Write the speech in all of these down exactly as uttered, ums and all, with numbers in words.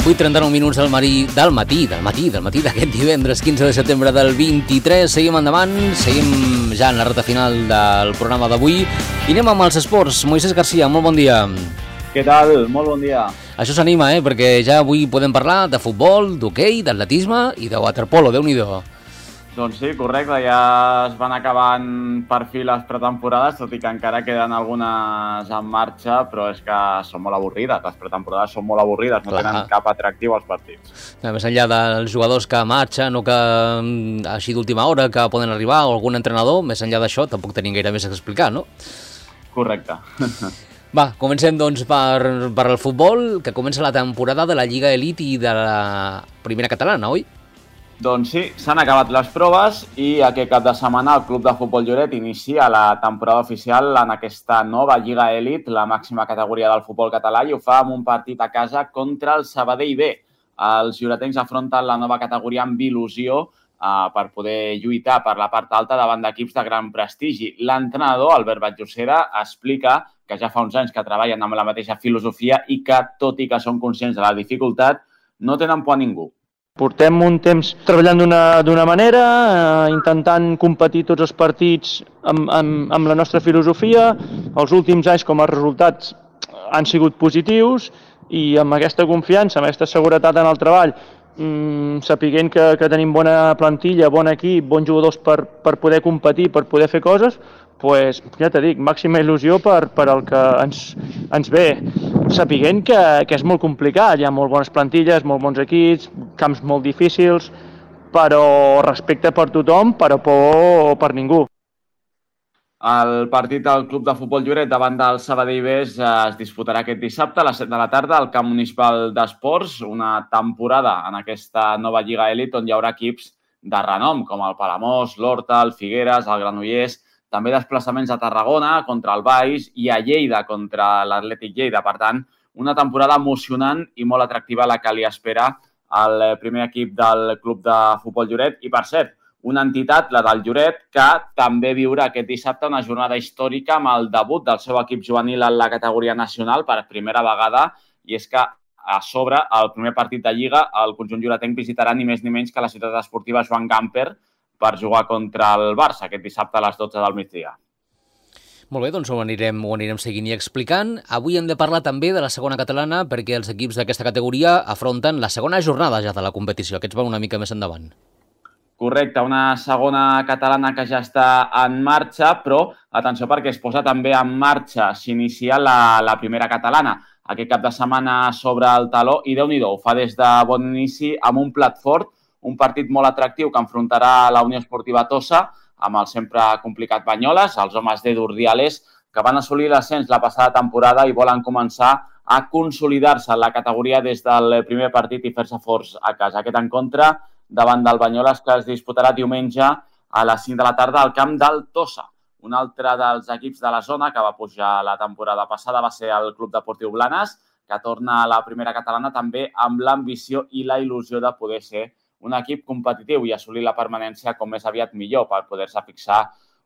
vuit i trenta-nou minuts del matí, del matí, del matí, del matí d'aquest divendres quinze de setembre del vint-i-tres. Seguim endavant, seguim ja en la recta final del programa d'avui i anem amb els esports. Moisés Garcia, molt bon dia. Què tal? Molt bon dia. Això s'anima, eh? Perquè ja avui podem parlar de futbol, d'hoquei, d'atletisme i de waterpolo, Déu-n'hi-do. Doncs sí, correcte, ja es van acabant per fi les pretemporades, tot i que encara queden algunes en marxa, però és que són molt avorrides, les pretemporades són molt avorrides, no Clar. tenen cap atractiu als partits. Més enllà dels jugadors que marxen o que així d'última hora que poden arribar o algun entrenador, més enllà d'això tampoc tenim gaire més a explicar, no? Correcte. Va, comencem doncs per, per el futbol, que comença la temporada de la Lliga Elite i de la primera catalana, oi? Doncs sí, s'han acabat les proves i aquest cap de setmana el Club de Futbol Lloret inicia la temporada oficial en aquesta nova Lliga Elite, la màxima categoria del futbol català, i ho fa amb un partit a casa contra el Sabadell B. Els lloretencs afronten la nova categoria amb il·lusió eh, per poder lluitar per la part alta davant d'equips de gran prestigi. L'entrenador, Albert Batllocera, explica que ja fa uns anys que treballen amb la mateixa filosofia i que, tot i que són conscients de la dificultat, no tenen por a ningú. Portem un temps treballant d'una manera, eh, intentant competir tots els partits amb, amb, amb la nostra filosofia. Els últims anys, com a resultats, han sigut positius i amb aquesta confiança, amb aquesta seguretat en el treball, mmm, sapiguent que, que tenim bona plantilla, bon equip, bons jugadors per, per poder competir, per poder fer coses, pues, ja t'he dit, màxima il·lusió per, per el que ens, ens ve, sapiguent que, que és molt complicat, hi ha molt bones plantilles, molt bons equips, camps molt difícils, però respecte per tothom, però por per ningú. El partit del Club de Futbol Lloret davant del Sabadell B es disputarà aquest dissabte a les set de la tarda al Camp Municipal d'Esports, una temporada en aquesta nova Lliga Elite on hi haurà equips de renom com el Palamós, l'Horta, el Figueres, el Granollers, també desplaçaments a Tarragona contra el Baix i a Lleida contra l'Atlètic Lleida. Per tant, una temporada emocionant i molt atractiva la que li espera al primer equip del Club de Futbol Lloret. I, per cert, una entitat, la del Lloret, que també viurà aquest dissabte una jornada històrica amb el debut del seu equip juvenil en la categoria nacional per primera vegada, i és que a sobre, el primer partit de Lliga, el conjunt lloretenc visitarà ni més ni menys que la ciutat esportiva Joan Gamper per jugar contra el Barça aquest dissabte a les dotze del migdia. Molt bé, doncs ho anirem, ho anirem seguint i explicant. Avui hem de parlar també de la segona catalana perquè els equips d'aquesta categoria afronten la segona jornada ja de la competició. Aquests van una mica més endavant. Correcte, una segona catalana que ja està en marxa, però atenció perquè es posa també en marxa, s'inicia la, la primera catalana. Aquest cap de setmana sobre el taló i Déu-n'hi-do, ho fa des de bon inici amb un plat fort, un partit molt atractiu que enfrontarà la Unió Esportiva Tossa amb el sempre complicat Banyoles, els homes d'Edu Urdiales, que van assolir l'ascens la passada temporada i volen començar a consolidar-se en la categoria des del primer partit i fer-se forts a casa. Aquest encontre davant del Banyoles que es disputarà diumenge a les cinc de la tarda al camp del Tossa. Un altre dels equips de la zona que va pujar la temporada passada va ser el Club Deportiu Blanes, que torna a la primera catalana també amb l'ambició i la il·lusió de poder ser un equip competitiu i assolir la permanència com més aviat millor per poder-se fixar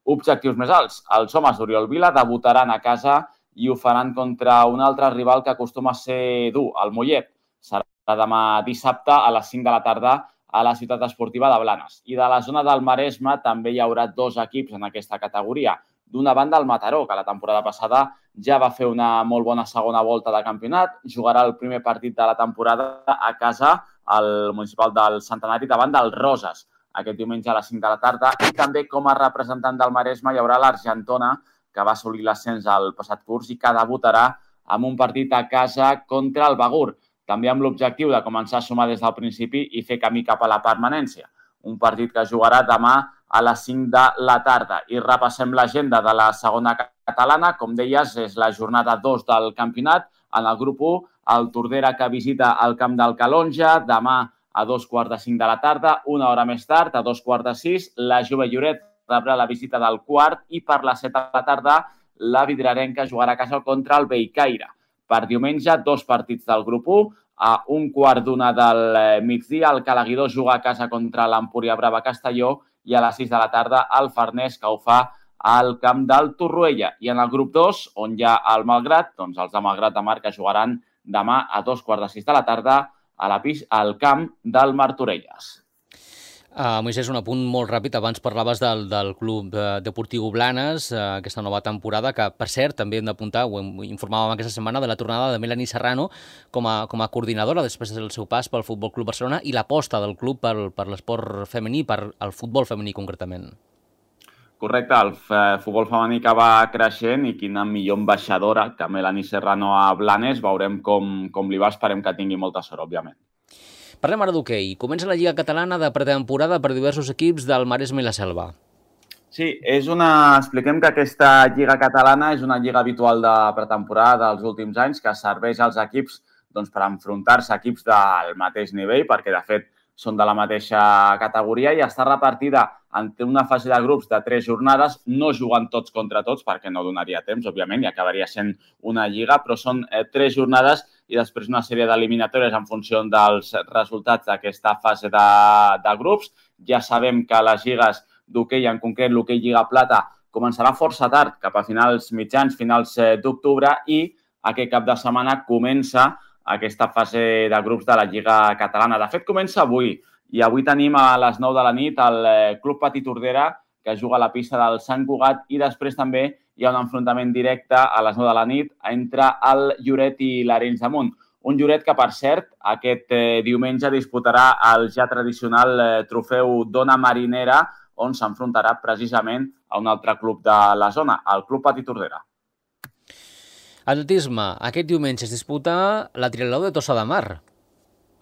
objectius més alts. Els homes d'Oriol Vila debutaran a casa i ho faran contra un altre rival que acostuma a ser dur, el Mollet. Serà demà dissabte a les cinc de la tarda a la ciutat esportiva de Blanes. I de la zona del Maresme també hi haurà dos equips en aquesta categoria. D'una banda, el Mataró, que la temporada passada ja va fer una molt bona segona volta de campionat, jugarà el primer partit de la temporada a casa al municipal del Centenari davant del Roses, aquest diumenge a les cinc de la tarda. I també com a representant del Maresme hi haurà l'Argentona, que va assolir l'ascens al passat curs i que debutarà amb un partit a casa contra el Begur, també amb l'objectiu de començar a sumar des del principi i fer camí cap a la permanència. Un partit que jugarà demà a les cinc de la tarda. I repassem l'agenda de la segona catalana. Com deies, és la jornada dos del campionat. En el grup u, el Tordera que visita el camp del Calonja, demà a dos quarts de cinc de la tarda, una hora més tard, a dos quarts de sis, la Jove Lloret rebrà la visita del Quart i per les set de la tarda la Vidrarenca jugarà a casa contra el Bellcaire. Per diumenge, dos partits del grup u, a un quart d'una del migdia, el Calaguidor juga a casa contra l'Empúria Brava Castelló i a les sis de la tarda el Farners, que ho fa al camp del Torroella. I en el grup dos, on hi ha el Malgrat, doncs els de Malgrat de Mar que jugaran demà a dos quarts de sis de la tarda a la pista, al camp del Martorelles. Uh, Moisés, un apunt molt ràpid. Abans parlaves del, del Club Deportiu Blanes, uh, aquesta nova temporada, que, per cert, també hem d'apuntar, ho informàvem aquesta setmana, de la tornada de Melanie Serrano com a, com a coordinadora després del seu pas pel Futbol Club Barcelona i l'aposta del club per, per l'esport femení, per el futbol femení concretament. Correcte, el futbol femení que va creixent i quina millor ambaixadora que Melanie Serrano a Blanes. Veurem com, com li va, esperem que tingui molta sort, òbviament. Parlem ara d'hoquei. Comença la Lliga Catalana de pretemporada per diversos equips del Maresme i la Selva. Sí, és una... expliquem que aquesta Lliga Catalana és una lliga habitual de pretemporada dels últims anys que serveix als equips doncs, per enfrontar-se a equips del mateix nivell, perquè de fet són de la mateixa categoria i està repartida en una fase de grups de tres jornades, no jugant tots contra tots, perquè no donaria temps, òbviament, i acabaria sent una lliga, però són eh, tres jornades i després una sèrie d'eliminatòries en funció dels resultats d'aquesta fase de, de grups. Ja sabem que les lligues d'hoquei, en concret l'hoquei Lliga Plata, començarà força tard, cap a finals mitjans, finals d'octubre, i aquest cap de setmana comença aquesta fase de grups de la Lliga Catalana. De fet, comença avui, i avui tenim a les nou de la nit el Club Patí Tordera, que juga a la pista del Sant Cugat, i després també hi ha un enfrontament directe a les nou de la nit entre el Lloret i l'Arenys de Munt. Un Lloret que, per cert, aquest eh, diumenge disputarà el ja tradicional eh, trofeu Dona Marinera, on s'enfrontarà precisament a un altre club de la zona, el Club Patí Tordera. Atletisme. Aquest diumenge es disputa la Triatló de Tossa de Mar.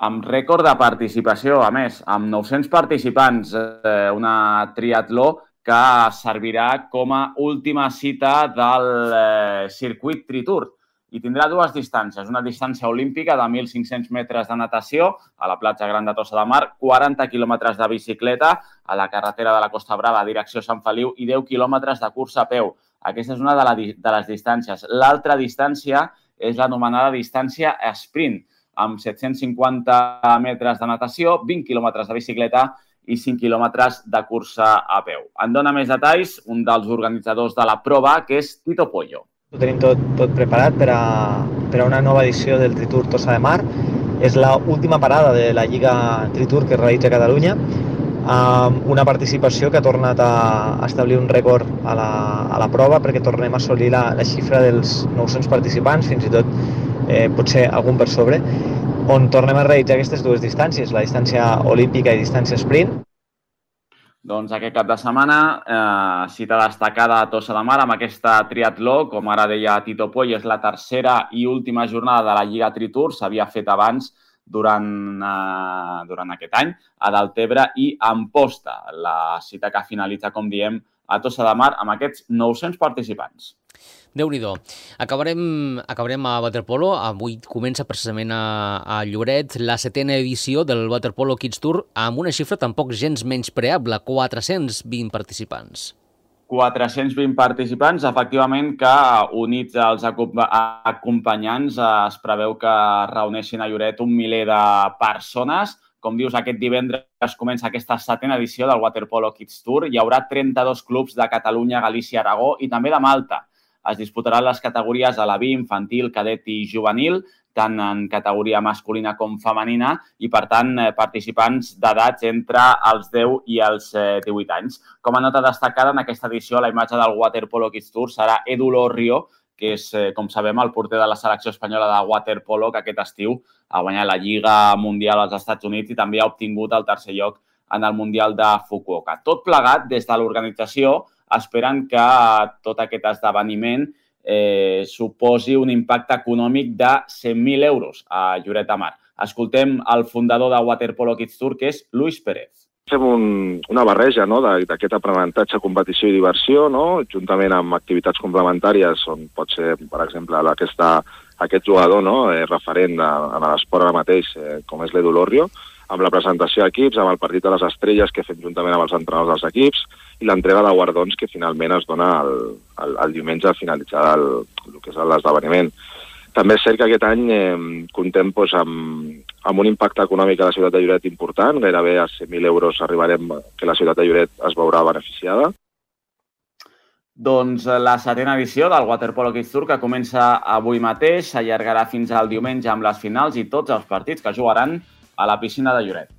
Amb rècord de participació, a més, amb nou-cents participants, eh, una triatló que servirà com a última cita del eh, circuit Tritour. I tindrà dues distàncies, una distància olímpica de mil cinc-cents metres de natació a la platja gran de Tossa de Mar, quaranta quilòmetres de bicicleta a la carretera de la Costa Brava, direcció Sant Feliu, i deu quilòmetres de cursa a peu. Aquesta és una de, la, de les distàncies. L'altra distància és l'anomenada distància sprint, amb set-cents cinquanta metres de natació, vint quilòmetres de bicicleta i cinc quilòmetres de cursa a peu. En dona més detalls un dels organitzadors de la prova, que és Tito Pollo. Ho tenim tot, tot preparat per a, per a una nova edició del Tritour Tossa de Mar. És l'última parada de la Lliga Tritour que es realitza a Catalunya, amb una participació que ha tornat a establir un rècord a la, a la prova, perquè tornem a assolir la, la xifra dels nou-cents participants, fins i tot eh, potser algun per sobre, on tornem a realitzar aquestes dues distàncies, la distància olímpica i distància sprint. Doncs aquest cap de setmana, eh, cita destacada a Tossa de Mar amb aquesta triatló, com ara deia Tito Poy, és la tercera i última jornada de la Lliga Tritour, s'havia fet abans durant, eh, durant aquest any, a Deltebre i Amposta. La cita que finalitza, com diem, a Tossa de Mar amb aquests nou-cents participants. Déu-n'hi-do. Acabarem, acabarem a waterpolo. Avui comença precisament a, a Lloret la setena edició del Waterpolo Kids Tour amb una xifra tampoc gens menyspreable, quatre-cents vint participants. quatre-cents vint participants, efectivament, que units als acompanyants es preveu que reuneixin a Lloret un miler de persones. Com dius, aquest divendres comença aquesta setena edició del Waterpolo Kids Tour. Hi haurà trenta-dos clubs de Catalunya, Galícia, Aragó i també de Malta. Es disputaran les categories a la B, infantil, cadet i juvenil, tant en categoria masculina com femenina, i, per tant, participants d'edats entre els deu i els divuit anys. Com a nota destacada, en aquesta edició, la imatge del Waterpolo Kids Tour serà Edu Lorrio, que és, com sabem, el porter de la selecció espanyola de waterpolo, que aquest estiu ha guanyat la Lliga Mundial als Estats Units i també ha obtingut el tercer lloc en el Mundial de Fukuoka. Tot plegat, des de l'organització, esperen que tot aquest esdeveniment eh, suposi un impacte econòmic de cent mil euros a Lloret de Mar. Escoltem el fundador de Waterpolo Kids Tour, que és Luis Pérez. Fem un, una barreja, no?, d'aquest aprenentatge, competició i diversió, no?, juntament amb activitats complementàries, on pot ser, per exemple, aquesta, aquest jugador, no?, eh, referent de, en l'esport ara mateix, eh, com és l'Edu Lorrio, amb la presentació d'equips, amb el partit de les estrelles que fem juntament amb els entrenadors dels equips i l'entrega de guardons que finalment es dona el, el, el diumenge al finalitzar el, el que és l'esdeveniment. També és cert que aquest any eh, contem doncs, amb, amb un impacte econòmic a la ciutat de Lloret important, gairebé a cent mil euros arribarem que la ciutat de Lloret es veurà beneficiada. Doncs la setena edició del Waterpolo Kids Tour, que comença avui mateix, s'allargarà fins al diumenge amb les finals i tots els partits que jugaran a la piscina de Lloret.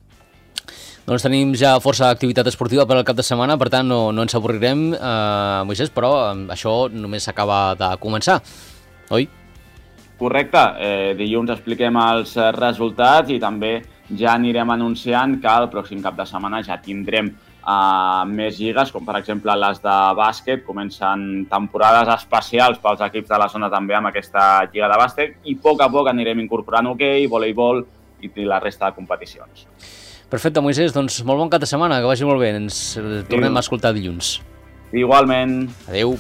Doncs tenim ja força activitat esportiva per al cap de setmana, per tant no, no ens avorrirem, eh, Moisés, però això només s'acaba de començar, oi? Correcte, eh, dilluns expliquem els resultats i també ja anirem anunciant que el pròxim cap de setmana ja tindrem Uh, més lligues, com per exemple les de bàsquet. Comencen temporades especials pels equips de la zona també amb aquesta lliga de bàsquet i a poc a poc anirem incorporant hoquei, voleibol i la resta de competicions. Perfecte, Moisés, doncs molt bon cap de setmana, que vagi molt bé. Ens tornem a escoltar dilluns. Igualment. Adéu.